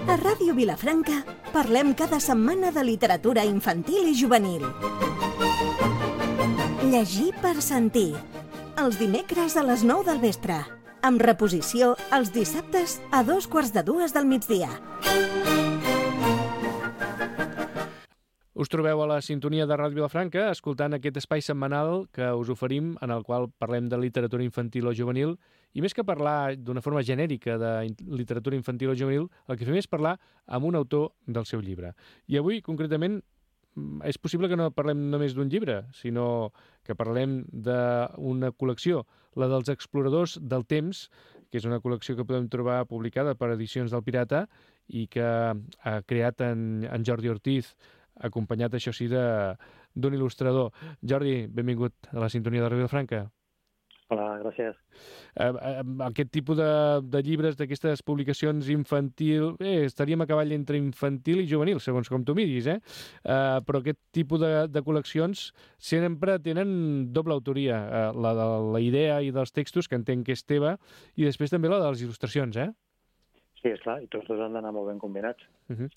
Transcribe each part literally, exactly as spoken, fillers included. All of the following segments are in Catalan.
A Ràdio Vilafranca parlem cada setmana de literatura infantil i juvenil. Llegir per sentir. Els dimecres a les nou del vespre. Amb reposició els dissabtes a dos quarts de dues del migdia. Us trobeu a la sintonia de Ràdio Vilafranca escoltant aquest espai setmanal que us oferim en el qual parlem de literatura infantil o juvenil i més que parlar d'una forma genèrica de literatura infantil o juvenil, el que fem és parlar amb un autor del seu llibre. I avui, concretament, és possible que no parlem només d'un llibre, sinó que parlem d'una col·lecció, la dels Exploradors del Temps, que és una col·lecció que podem trobar publicada per Edicions del Pirata i que ha creat en, en Jordi Ortiz, acompanyat, això sí, d'un il·lustrador. Jordi, benvingut a la sintonia de Ràdio Vilafranca. Hola, gràcies. Eh, eh, aquest tipus de, de llibres, d'aquestes publicacions infantil, eh, estaríem a cavall entre infantil i juvenil, segons com tu miris, eh? eh però aquest tipus de, de col·leccions sempre tenen doble autoria, eh, la de la idea i dels textos, que entenc que és teva, i després també la de les il·lustracions, eh? Sí, és clar, i tots dos han d'anar molt ben combinats. Uh-huh.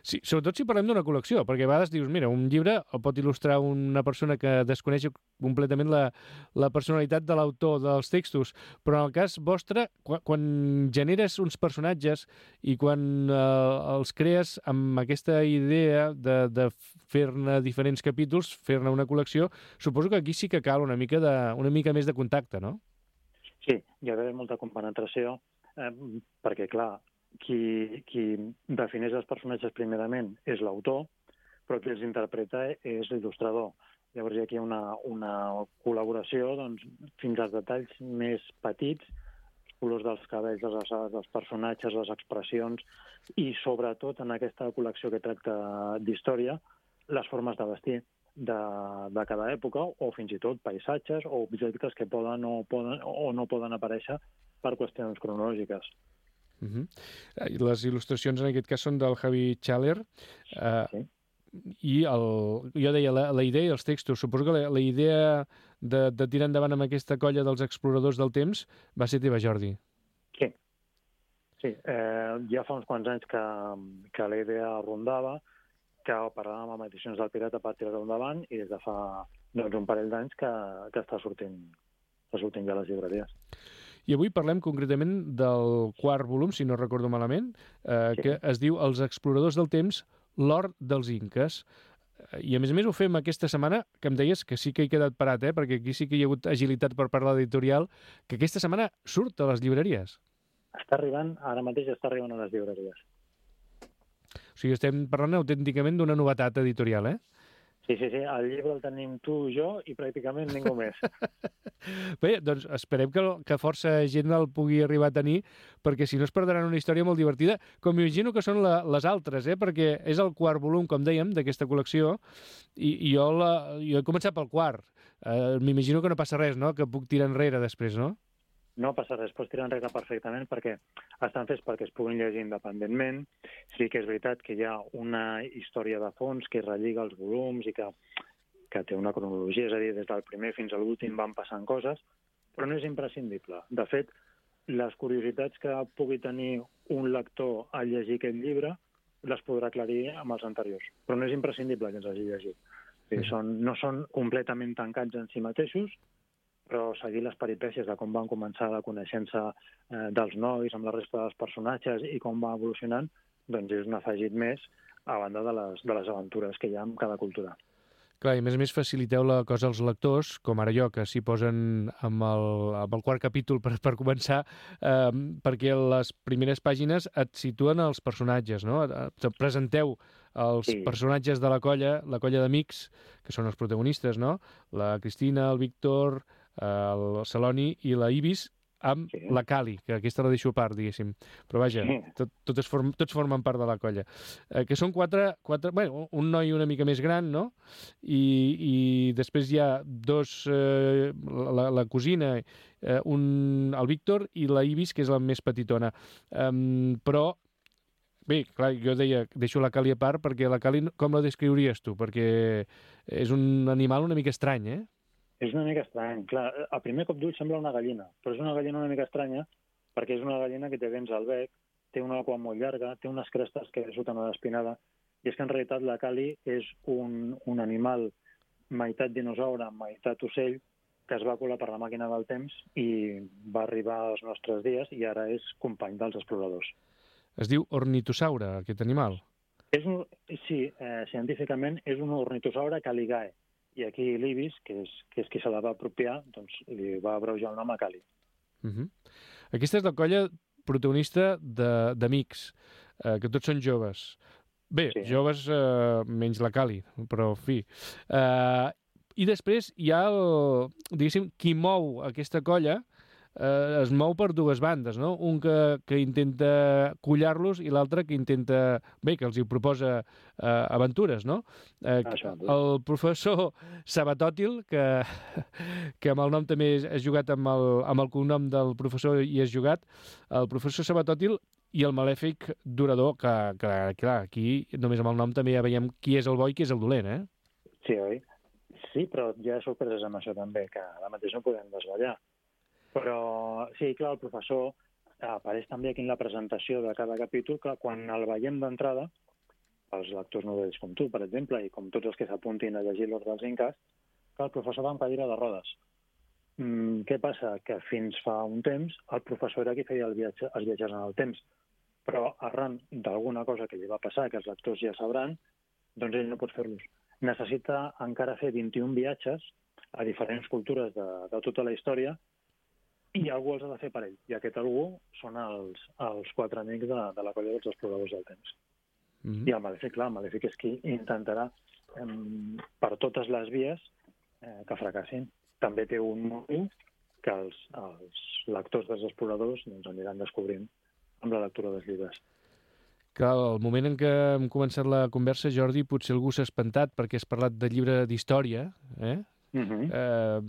Sí, sobretot si parlem d'una col·lecció, perquè a vegades dius, mira, un llibre el pot il·lustrar una persona que desconeix completament la, la personalitat de l'autor dels textos, però en el cas vostre, quan, quan generes uns personatges i quan eh, els crees amb aquesta idea de, de fer-ne diferents capítols, fer-ne una col·lecció, suposo que aquí sí que cal una mica, de, una mica més de contacte, no? Sí, hi ha d'haver molta compenetració, eh, perquè, clar, qui, qui defineix els personatges primerament és l'autor, però qui els interpreta és l'il·lustrador. Llavors hi ha aquí una, una col·laboració doncs, fins als detalls més petits, els colors dels cabells, les alçades dels personatges, les expressions, i sobretot en aquesta col·lecció que tracta d'història, les formes de vestir de, de cada època, o fins i tot paisatges o objectes que poden o, poden, o no poden aparèixer per qüestions cronològiques. Uh-huh. Les il·lustracions en aquest cas són del Javi Chaler, uh, sí. I el, jo deia la, la idea i els textos, suposo que la, la idea de, de tirar endavant amb aquesta colla dels Exploradors del Temps va ser teva, Jordi. Sí, sí. Eh, ja fa uns quants anys que, que la idea rondava, que parlàvem amb Edicions del Pirata per tirar-ho endavant, i des de fa doncs, un parell d'anys que, que està sortint, està sortint ja a les llibreries. I avui parlem concretament del quart volum, si no recordo malament, eh, sí. que es diu Els Exploradors del Temps, l'or dels Inques. I a més a més ho fem aquesta setmana, que em deies que sí que he quedat parat, eh, perquè aquí sí que hi ha hagut agilitat per part de l'editorial, que aquesta setmana surt a les llibreries. Està arribant, ara mateix està arribant a les llibreries. O sigui, estem parlant autènticament d'una novetat editorial, eh? Sí, sí, sí, el llibre el tenim tu, jo i pràcticament ningú més. Bé, doncs esperem que, que força gent el pugui arribar a tenir, perquè si no es perdran una història molt divertida, com m'imagino que són la, les altres, eh? Perquè és el quart volum, com dèiem, d'aquesta col·lecció, i, i jo, la, jo he començat pel quart. Eh, m'imagino que no passa res, no?, que puc tirar enrere després, no? No passa res, pots tirar enrere perfectament perquè estan fets perquè es puguin llegir independentment. Sí que és veritat que hi ha una història de fons que relliga els volums i que, que té una cronologia, és a dir, des del primer fins a l'últim van passant coses, però no és imprescindible. De fet, les curiositats que pugui tenir un lector al llegir aquest llibre les podrà aclarir amb els anteriors, però no és imprescindible que ens hagi llegit. Sí. Són, no són completament tancats en si mateixos, però seguir les peripècies de com van començar la coneixença eh, dels nois amb la resta dels personatges i com va evolucionant, doncs és un afegit més a banda de les, de les aventures que hi ha en cada cultura. Clar, i a més a més faciliteu la cosa als lectors, com ara jo, que s'hi posen amb el, amb el quart capítol per, per començar, eh, perquè les primeres pàgines et situen els personatges, no? Et presenteu els sí. personatges de la colla, la colla d'amics, que són els protagonistes, no? La Cristina, el Víctor, el Celoni i la Ibis, amb sí. la Cali, que aquesta la deixo a part, diguéssim. Però vaja, sí. tot, totes form, tots formen part de la colla. Eh, que són quatre, quatre... Bueno, un noi una mica més gran, no? I, i després hi ha dos... Eh, la, la cosina, eh, un, el Víctor i la Ibis, que és la més petitona. Um, però... Bé, clar, jo deia, deixo la Cali a part, perquè la Cali, com la descriuries tu? Perquè és un animal una mica estrany, eh? És una mica estrany. Clar, a primer cop d'ull sembla una gallina, però és una gallina una mica estranya perquè és una gallina que té dents al bec, té una cua molt llarga, té unes crestes que surten a l'espinada, i és que en realitat la Cali és un, un animal meitat dinosaure, meitat ocell, que es va colar per la màquina del temps i va arribar als nostres dies i ara és company dels exploradors. Es diu ornitosaure, aquest animal? És un, sí, eh, científicament és un ornitosaure caligae, i aquí l'Ibis, que és, que és qui se la va apropiar, doncs li va abreujar el nom a Cali. Uh -huh. Aquesta és la colla protagonista d'Amics, eh, que tots són joves. Bé, sí. joves eh, menys la Cali, però en fi. Eh, I després hi ha, el, diguéssim, qui mou aquesta colla, eh, es mou per dues bandes, no? Un que, que intenta collar-los i l'altre que intenta, bé, que els hi proposa eh, aventures, no? Eh, el professor Sabatòtil, que, que amb el nom també has jugat amb el, amb el cognom del professor i has jugat, el professor Sabatòtil i el malèfic Durador, que, que clar, aquí només amb el nom també ja veiem qui és el bo i qui és el dolent, eh? Sí, oi? Sí, però hi ha sorpreses amb això també, que ara mateix no podem desvetllar. Però sí, clar, el professor apareix també aquí en la presentació de cada capítol, que quan el veiem d'entrada, els lectors novells com tu, per exemple, i com tots els que s'apuntin a llegir l'Ordre dels Inques, que el professor va en cadira de rodes. Mm, què passa? Que fins fa un temps el professor era qui feia el viatge, els viatges en el temps, però arran d'alguna cosa que li va passar, que els lectors ja sabran, doncs ell no pot fer-los. Necessita encara fer vint-i-un viatges a diferents cultures de, de tota la història i algú els ha de fer per ell. I aquest algú són els, els quatre amics de, de la colla dels exploradors del temps. Mm-hmm. I el Malèfic, clar, el Malèfic és qui intentarà eh, per totes les vies eh, que fracassin. També té un motiu que els, els lectors dels exploradors doncs, aniran descobrint amb la lectura dels llibres. Clar, al moment en què hem començat la conversa, Jordi, potser algú s'ha espantat perquè has parlat de llibre d'història, eh? Uh-huh. eh,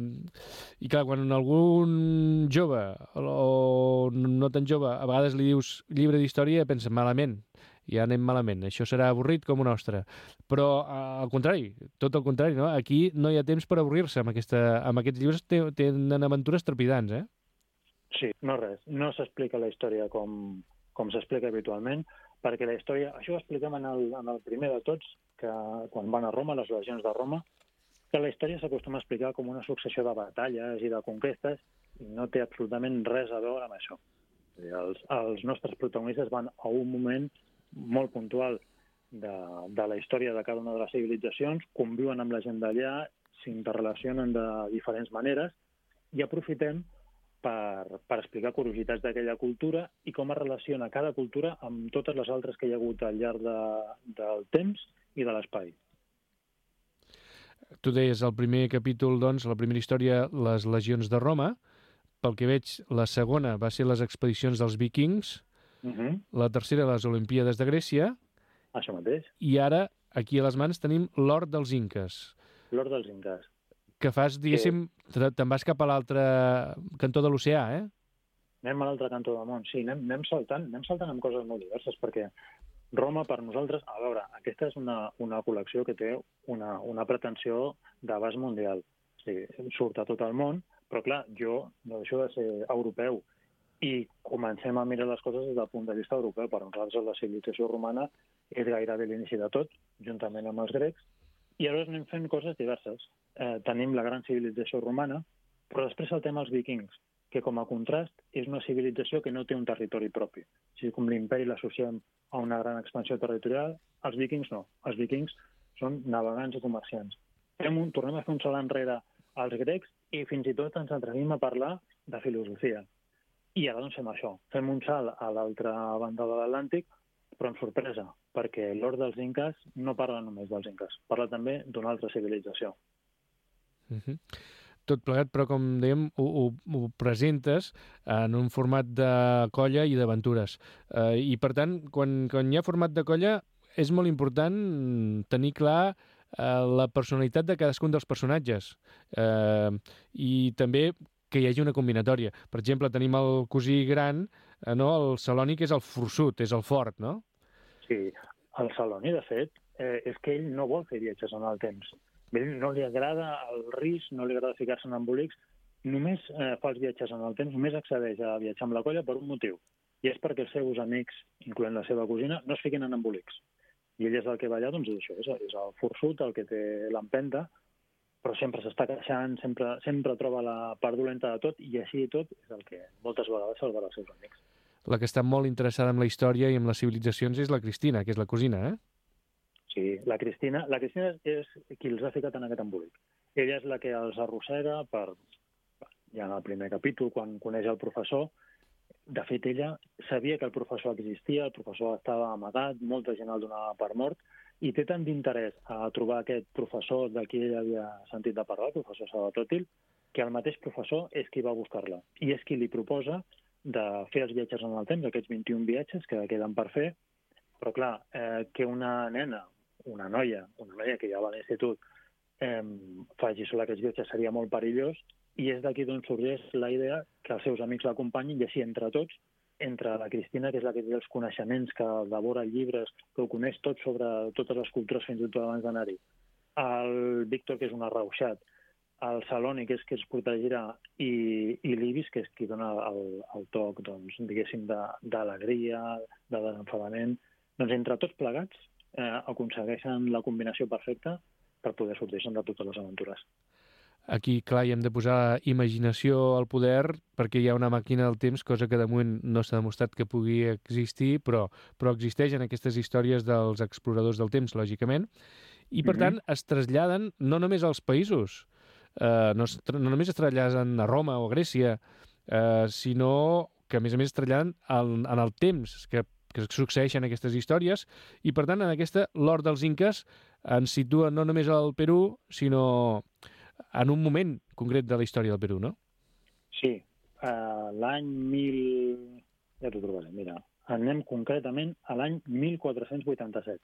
I clar, quan algun jove o no tan jove a vegades li dius llibre d'història, pensa malament, ja anem malament, això serà avorrit com un ostre. Però al contrari, tot el contrari, no? Aquí no hi ha temps per avorrir-se amb, aquesta, amb aquests llibres, tenen aventures trepidants, eh? Sí, no res, no s'explica la història com, com s'explica habitualment, perquè la història, això ho expliquem en el, en el primer de tots, que quan van a Roma, les legions de Roma, que la història s'acostuma a explicar com una successió de batalles i de conquestes i no té absolutament res a veure amb això. Els, els nostres protagonistes van a un moment molt puntual de, de la història de cada una de les civilitzacions, conviuen amb la gent d'allà, s'interrelacionen de diferents maneres i aprofitem per, per explicar curiositats d'aquella cultura i com es relaciona cada cultura amb totes les altres que hi ha hagut al llarg de, del temps i de l'espai. Tu deies, el primer capítol, doncs, la primera història, les legions de Roma. Pel que veig, la segona va ser les expedicions dels vikings, uh-huh. La tercera, les Olimpíades de Grècia. Això mateix. I ara, aquí a les mans, tenim l'Hort dels Inques. L'Hort dels Inques. Que fas, diguéssim, que... te'n vas cap a l'altre cantó de l'oceà, eh? Anem a l'altre cantó del món, sí, anem, anem saltant, anem saltant amb coses molt diverses, perquè Roma, per nosaltres, a veure, aquesta és una, una col·lecció que té una, una pretensió d'abast mundial. O sigui, surt a tot el món, però clar, jo no deixo de ser europeu i comencem a mirar les coses des del punt de vista europeu. Per nosaltres la civilització romana és gairebé l'inici de tot, juntament amb els grecs, i aleshores anem fent coses diverses. Eh, tenim la gran civilització romana, però després saltem els vikings, que com a contrast és una civilització que no té un territori propi. O sigui, com l'imperi l'associem a una gran expansió territorial, els vikings no. Els vikings són navegants i comerciants. Fem un, tornem a fer un salt enrere als grecs i fins i tot ens atrevim a parlar de filosofia. I ara doncs fem això. Fem un salt a l'altra banda de l'Atlàntic, però amb sorpresa, perquè l'Hort dels Inques no parla només dels Inques, parla també d'una altra civilització. Mhm. Tot plegat, però com dèiem, ho, ho, ho presentes en un format de colla i d'aventures. Eh, I per tant, quan, quan hi ha format de colla, és molt important tenir clar eh, la personalitat de cadascun dels personatges. Eh, I també que hi hagi una combinatòria. Per exemple, tenim el cosí gran, eh, no? El Celoni, que és el forçut, és el fort, no? Sí, el Celoni, de fet, eh, és que ell no vol fer viatges en el temps. No li agrada el risc, no li agrada ficar-se en embolics, només eh, fa els viatges en el temps, només accedeix a viatjar amb la colla per un motiu, i és perquè els seus amics, incloent la seva cosina, no es fiquin en embolics. I ell és el que va allà, doncs és això, és, és el forçut, el que té l'empenta, però sempre s'està queixant, sempre, sempre troba la part dolenta de tot, i així i tot és el que moltes vegades salvarà els seus amics. La que està molt interessada en la història i en les civilitzacions és la Cristina, que és la cosina, eh? Sí, la Cristina, la Cristina és qui els ha ficat en aquest embolic. Ella és la que els arrossega per, ja en el primer capítol, quan coneix el professor. De fet, ella sabia que el professor existia, el professor estava amagat, molta gent el donava per mort, i té tant d'interès a trobar aquest professor de qui ella havia sentit de parlar, el professor Sabatòtil, que el mateix professor és qui va buscar-la. I és qui li proposa de fer els viatges en el temps, aquests vint-i-un viatges que queden per fer, però clar, eh, que una nena, una noia, una noia que ja va a l'institut, eh, faci sola aquests viatges seria molt perillós, i és d'aquí d'on sorgeix la idea que els seus amics l'acompanyin, i així entre tots, entre la Cristina, que és la que té els coneixements, que devora llibres, que ho coneix tot sobre totes les cultures fins i tot abans d'anar-hi, el Víctor, que és un arrauxat, el Saloni, que és qui els protegirà, i, i l'Ibis, que és qui dona el, el toc, doncs, diguéssim, d'alegria, de, de desenfadament. Doncs entre tots plegats eh, aconsegueixen la combinació perfecta per poder sortir-se'n de totes les aventures. Aquí, clar, hi hem de posar imaginació al poder perquè hi ha una màquina del temps, cosa que de moment no s'ha demostrat que pugui existir, però, però existeix en aquestes històries dels exploradors del temps, lògicament, i per mm-hmm. tant es traslladen no només als països, eh, no, es, no només es traslladen a Roma o a Grècia, eh, sinó que a més a més es traslladen al, en el temps que, que succeeixen aquestes històries, i per tant en aquesta l'Hort dels Inques ens situa no només al Perú, sinó en un moment concret de la història del Perú, no? Sí, uh, l'any mil... Ja t'ho trobaré, mira. Anem concretament a l'any mil quatre-cents vuitanta-set.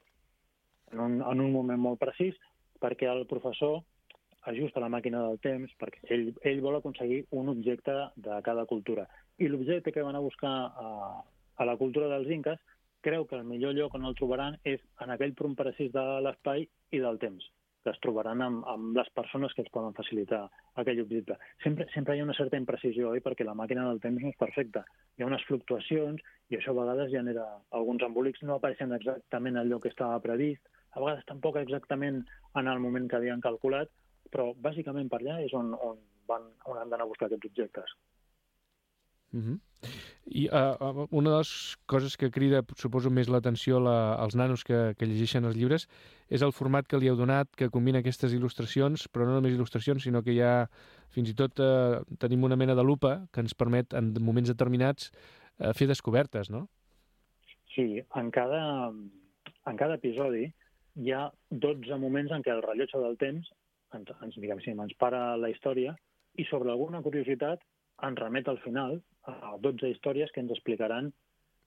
En un, en un moment molt precís, perquè el professor ajusta la màquina del temps, perquè ell, ell vol aconseguir un objecte de cada cultura. I l'objecte que van a buscar a, a la cultura dels inques creu que el millor lloc on el trobaran és en aquell punt precís de l'espai i del temps, que es trobaran amb, amb les persones que els poden facilitar aquell objecte. Sempre, sempre hi ha una certa imprecisió, oi? Perquè la màquina del temps no és perfecta. Hi ha unes fluctuacions i això a vegades genera alguns embolics no apareixen exactament al lloc que estava previst, a vegades tampoc exactament en el moment que havien calculat, però bàsicament per allà és on, on, van, on han d'anar a buscar aquests objectes. Mm-hmm. I uh, una de les coses que crida, suposo, més l'atenció la, als nanos que, que llegeixen els llibres és el format que li heu donat, que combina aquestes il·lustracions, però no només il·lustracions, sinó que ja fins i tot uh, tenim una mena de lupa que ens permet, en moments determinats, uh, fer descobertes, no? Sí, en cada, en cada episodi hi ha dotze moments en què el rellotge del temps ens, ens, diguem, sí, ens para la història i sobre alguna curiositat ens remet al final a dotze històries que ens explicaran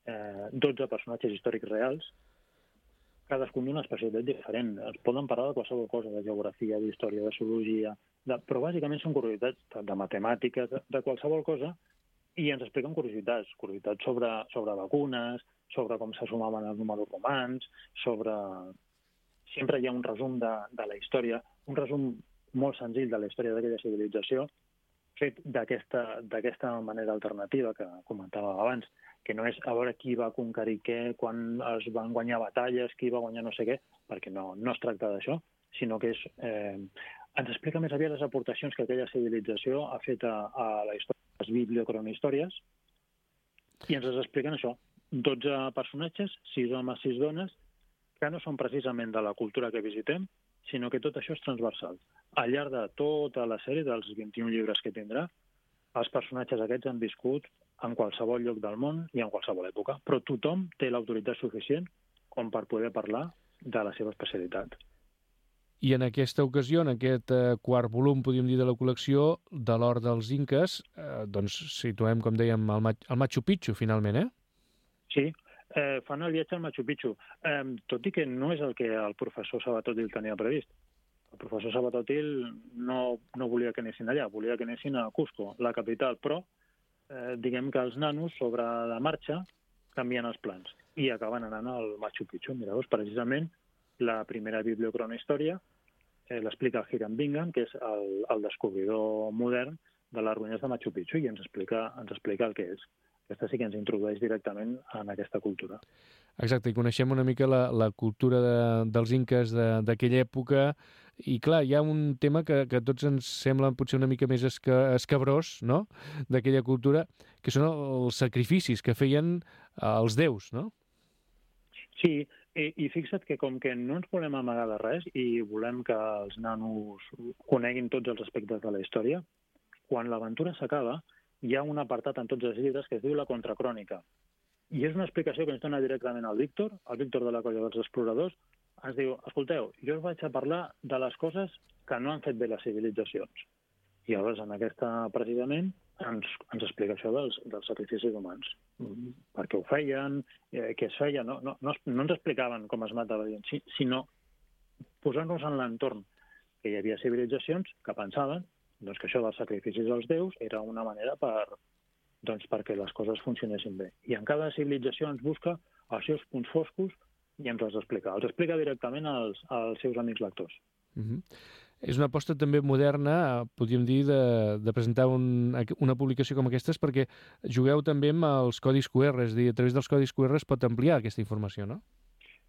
eh, dotze personatges històrics reals, cadascun d'una especialitat diferent. Es poden parlar de qualsevol cosa, de geografia, d'història, de zoologia, de... però bàsicament són curiositats de matemàtiques, de, de qualsevol cosa, i ens expliquen curiositats, curiositats sobre, sobre vacunes, sobre com se sumaven els números romans, sobre... Sempre hi ha un resum de, de la història, un resum molt senzill de la història d'aquella civilització, fet d'aquesta manera alternativa que comentava abans, que no és a veure qui va conquerir què, quan es van guanyar batalles, qui va guanyar no sé què, perquè no, no es tracta d'això, sinó que és, eh, ens explica més aviat les aportacions que aquella civilització ha fet a, a la història, les bibliocronihistòries, i ens les expliquen això, dotze personatges, sis homes, sis dones, que no són precisament de la cultura que visitem, sinó que tot això és transversal. Al llarg de tota la sèrie, dels vint-i-un llibres que tindrà, els personatges aquests han viscut en qualsevol lloc del món i en qualsevol època, però tothom té l'autoritat suficient com per poder parlar de la seva especialitat. I en aquesta ocasió, en aquest eh, quart volum, podríem dir, de la col·lecció de l'Hort dels Inques, eh, doncs situem, com dèiem, el, Ma el Machu Picchu, finalment, eh? Sí, eh, fan el viatge al Machu Picchu, eh, tot i que no és el que el professor Sabatòtil tenia previst. El professor Sabatòtil no, no volia que anessin allà, volia que anessin a Cusco, la capital, però eh, diguem que els nanos, sobre la marxa, canvien els plans i acaben anant al Machu Picchu. Mireu, precisament, la primera bibliocronihistòria eh, l'explica el Hiram Bingham, que és el, el descobridor modern de les ruïnes de Machu Picchu i ens explica, ens explica el que és. Aquesta sí que ens introdueix directament en aquesta cultura. Exacte, i coneixem una mica la, la cultura de, dels inques d'aquella època, i clar, hi ha un tema que, que a tots ens sembla potser una mica més esca, escabrós, no?, d'aquella cultura, que són els sacrificis que feien els déus, no? Sí, i, i fixa't que com que no ens volem amagar de res i volem que els nanos coneguin tots els aspectes de la història, quan l'aventura s'acaba, hi ha un apartat en tots els llibres que es diu la contracrònica. I és una explicació que ens dona directament al Víctor, el Víctor de la colla dels exploradors. Ens diu, escolteu, jo us vaig a parlar de les coses que no han fet bé les civilitzacions. I llavors, en aquesta, precisament, ens, ens explica això dels, dels sacrificis humans. Per què ho feien, eh, què es feia. No, no, no, no ens explicaven com es matava, sinó posant-nos en l'entorn que hi havia civilitzacions que pensaven doncs que això dels sacrificis als déus era una manera per, doncs, perquè les coses funcionessin bé. I en cada civilització ens busca els seus punts foscos i ens els explica. Els explica directament als, als seus amics lectors. Mm-hmm. És una aposta també moderna, podríem dir, de, de presentar un, una publicació com aquestes, perquè jugueu també amb els codis cu erre, és a dir, a través dels codis cu erre es pot ampliar aquesta informació, no?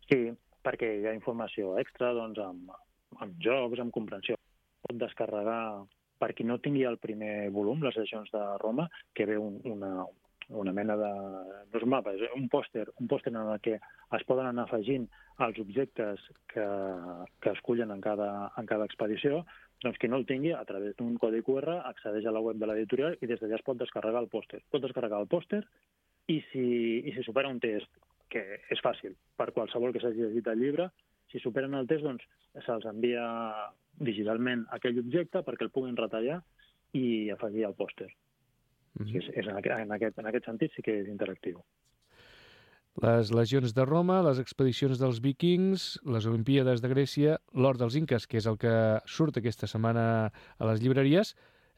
Sí, perquè hi ha informació extra, doncs, amb, amb jocs, amb comprensió. Pot descarregar, per qui no tingui el primer volum, les edicions de Roma, que ve un, una, una mena de... no és un mapa, és un pòster, un pòster en el que es poden anar afegint els objectes que, que escullen en cada, en cada expedició, doncs qui no el tingui, a través d'un codi cu erre, accedeix a la web de l'editorial i des d'allà es pot descarregar el pòster. Pot descarregar el pòster i si, i si supera un test, que és fàcil, per qualsevol que s'hagi llegit el llibre, si superen el test, doncs se'ls envia digitalment aquell objecte perquè el puguin retallar i afegir al pòster. Mm-hmm. és, és en, aquest, en, aquest, en aquest sentit sí que és interactiu. Les legions de Roma, les expedicions dels vikings, les Olimpíades de Grècia, l'or dels inques, que és el que surt aquesta setmana a les llibreries.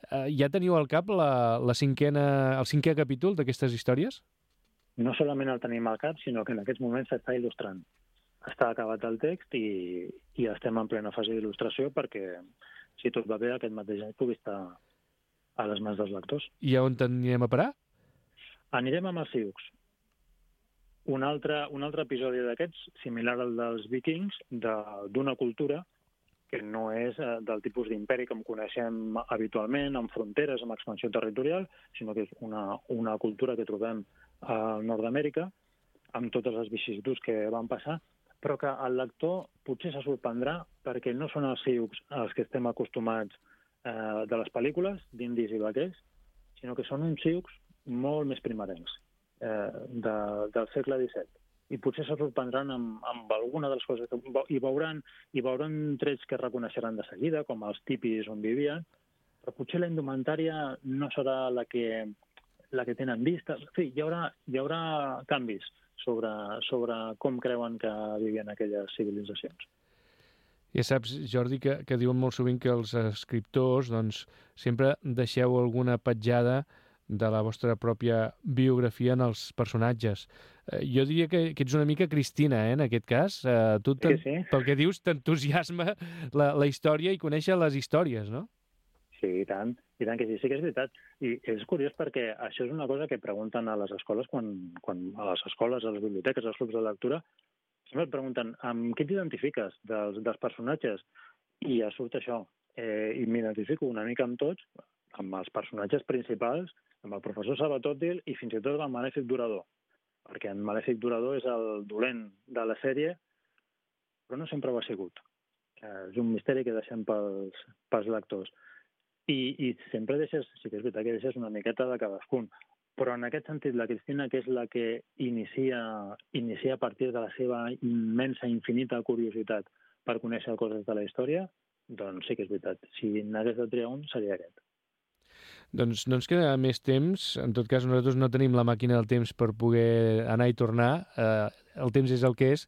Eh, ja teniu al cap la, la cinquena, el cinquè capítol d'aquestes històries? No solament el tenim al cap, sinó que en aquests moments s'està il·lustrant. Està acabat el text i, i estem en plena fase d'il·lustració perquè, si tot va bé, aquest mateix any pugui estar a les mans dels lectors. I a on anirem a parar? Anirem amb els Sioux. Un altre, un altre episodi d'aquests, similar al dels vikings, d'una cultura que no és eh, del tipus d'imperi que coneixem habitualment, amb fronteres, amb expansió territorial, sinó que és una, una cultura que trobem a Nord-Amèrica, amb totes les vicissituds que van passar, però que el lector potser se sorprendrà perquè no són els Sioux els que estem acostumats eh, de les pel·lícules, d'indis i vaquers, sinó que són uns Sioux molt més primerencs, eh, de, del segle disset. I potser se sorprendran amb, amb alguna de les coses que hi veuran, hi veuran trets que reconeixeran de seguida, com els tipis on vivien, però potser la indumentària no serà la que, la que tenen vista. En fi, hi haurà, hi haurà canvis sobre, sobre com creuen que vivien aquelles civilitzacions. Ja saps, Jordi, que, que diuen molt sovint que els escriptors doncs, sempre deixeu alguna petjada de la vostra pròpia biografia en els personatges. Eh, jo diria que, que ets una mica Cristina, eh, en aquest cas. Eh, tu, sí, sí. Pel que dius, t'entusiasma la, la història i conèixer les històries, no? Sí, i tant. I tant que sí, sí que és veritat. I és curiós perquè això és una cosa que pregunten a les escoles, quan, quan a les escoles, a les biblioteques, als clubs de lectura, sempre et pregunten amb què t'identifiques dels, dels personatges? I ja surt això. Eh, I m'identifico una mica amb tots, amb els personatges principals, amb el professor Sabatòtil i fins i tot amb Malèfic Durador. Perquè en Malèfic Durador és el dolent de la sèrie, però no sempre ho ha sigut. Eh, és un misteri que deixem pels, pels lectors. I, i sempre deixes, sí que és veritat que deixes una miqueta de cadascun, però en aquest sentit la Cristina, que és la que inicia, inicia a partir de la seva immensa, infinita curiositat per conèixer coses de la història, doncs sí que és veritat. Si n'hagués de triar un, seria aquest. Doncs no ens queda més temps. En tot cas, nosaltres no tenim la màquina del temps per poder anar i tornar. Eh, el temps és el que és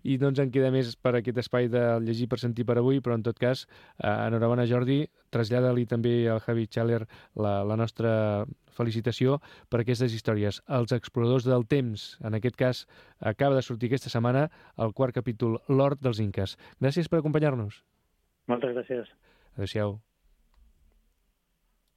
i no ens en queda més per aquest espai de llegir per sentir per avui, però en tot cas, eh, enhorabona, Jordi. Trasllada-li també al Javi Xaler la, la nostra felicitació per aquestes històries. Els exploradors del temps, en aquest cas, acaba de sortir aquesta setmana el quart capítol, l'Hort dels Inques. Gràcies per acompanyar-nos. Moltes gràcies. Adéu-siau.